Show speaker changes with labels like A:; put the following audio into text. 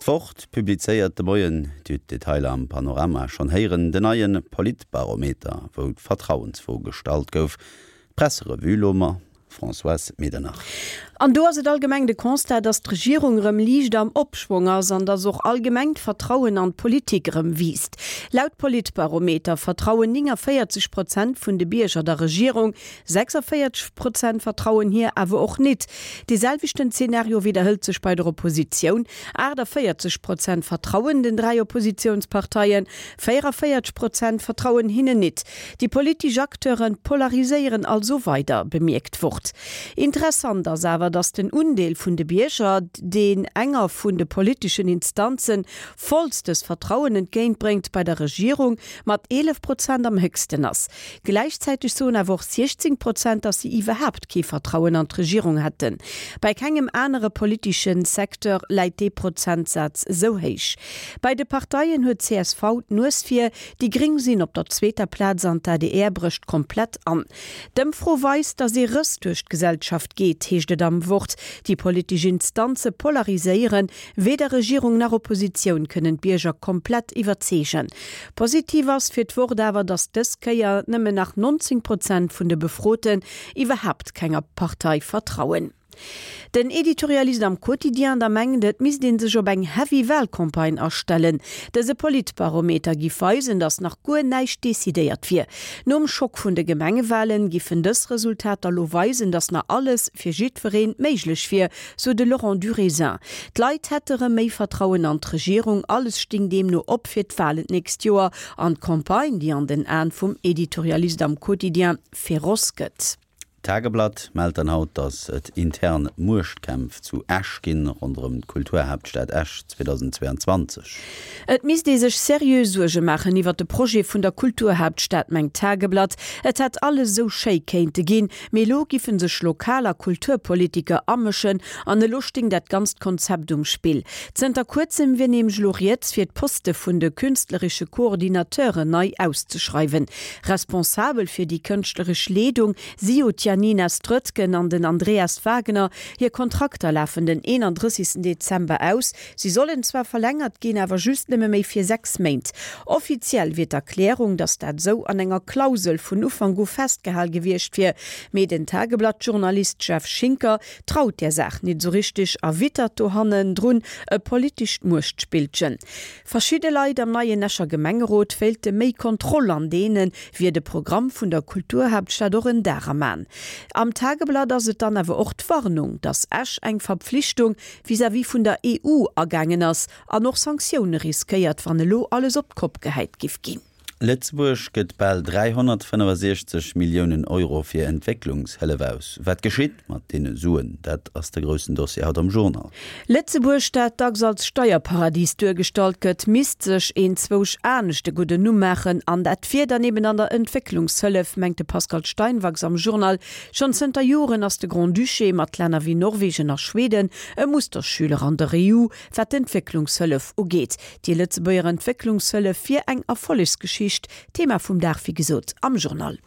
A: D'Wort publizéiert de Moien, Dir hutt d'Detailer am Panorama schonn héieren, den neie Politbarometer, wou d'Vertrauensfro gestallt gouf. D'Presserevue lo ma Françoise Medernach.
B: An do ass et allgemeng de Constat, datt d'Regierung erëm liicht am Opschwong ass an datt och allgemeng d'Vertrauen an d'Politik erëm wiisst. Laut Politbarometer vertrauen 49 Prozent vun de Bierger der Regierung, 46 Prozent vertrauen hir awer och nit. Dee selwechten Zenario widderhëlt sech bei der Oppositioun, 48 Prozent vertrauen den 3 Oppositiounsparteien, 44 Prozent vertrauen hinnen nit. Déi politesch Acteure polariséieren also weider, bemierkt d'Wort. Interessant ass awer, datt den Undeel vun de Bierger, deen enger vun de politeschen Instanze vollstes Vertrauen entgéintbréngt, bei der Regierung mat 11 Prozent am héchsten ass. Gläichzäiteg soen awer och 16 Prozent, datt si iwwerhaapt kee Vertrauen an d'Regierung hätten. Bei kengem anere politesche Secteur läit dee Prozentsaz esou héich. Bei de Parteien huet csv d'Nues vir, Déi Gréng sinn op der zweeter Plaz an d'ADR brécht komplett an. D'Ëmfro weist, datt ee Rëss duerch d'Gesellschaft geet, heescht et am Wort. Déi politesch Instanze polariséieren, weder Regierung nach Oppositioun kënnen d'Bierger komplett iwwerzeegen. Positiv ass fir d'Wort awer, datt dës Kéier nëmmen nach 19 Prozent vun de Befroten iwwerhaapt kenger Partei vertrauen. Den Editorialist am Quotidien da mengt, et misst ee sech op eng heavy Wahlcampagne astellen. Dëse Politbarometer giff weisen, datt nach guer näischt decidéiert wier. Nom Schock vun de Gemengewahlen giffen dës Resultater lo weisen, datt nach alles fir jiddweree méiglech wier, sou de Laurent Durésin. D'Leit hätte rëm méi Vertrauen an d'Regierung, alles sting deemno op fir d'Wahlen d'nächst Joer an d'Campagne, déi an den Aen vum Editorialist am Quotidien féroce gëtt.
A: D'Tageblatt mellt dann haut, datt et intern Muechtkämpf zu Esch ginn ronderëm d'Kulturhaaptstad Esch 2022.
B: Et misst ee sech seriö Suerge maachen iwwer de Projet vun der Kulturhaaptstad, mengt d'Tageblatt. Et hätt alles esou schéi kéinte ginn, mee elo giffe sech Lokal a Kulturpolitiker amëschen an elo sting dat ganzt Konzept um Spill. Zënter kuerzem wier nämlech elo rieds, fir d'Poste vun de künstleresche Coordinateuren nei auszeschreiwen. Responsabel fir déi kënschtleresch Leedung si jo d'Janina Strötgen an den Andreas Wagner. Hir Kontrakter lafen den 31 Dezember aus. Si sollen zwar verlängert ginn, awer just nëmme méi fir 6 Méint. Offiziell wier d'Erklärung, datt dat esou an enger Klausel vun Ufank u festgehal gewiescht wier. Mee den Tageblatt-Journalist Jeff Schinker traut där Saach nit esou richteg a wittert dohannendrun e politescht Muechtspillchen. Verschidde Leit am neien Escher Gemengerot wéilte méi Kontroll an deene wier de Programm vun der Kulturhaaptstad och en Dar am An. Am Tageblatt ass et dann awer och d'Warnung, datt Esch eng Verpflichtung vis-à-vis vun der EU agaangen ass an och Sanktioune riskéiert, wann elo alles op d'Kopp gehäit giff ginn.
A: Lëtzebuerg gëtt bal 365 Milliounen Euro fir Entwécklungshëllef aus. Wat geschitt mat deene Suen? Dat ass de groussen Dossier haut am Journal.
B: Lëtzebuerg, dat dacks als Steierparadies duergestallt gëtt, misst sech enzwousch anescht e gudden Numm maachen. An dat wier dann eben an der Entwécklungshëllef, mengt de Pascal Steinwachs am Journal. Schonn zënter Joren ass de Grand-Duché mat Länner wéi Norwegen a Schweden e Musterschüler an der EU, wat d'Entwécklungshëllef ugeet. Déi Lëtzebuerger Entwécklungshëllef wier eng Erfollegsgeschicht, Thema vum Dag wéi gesot am Journal.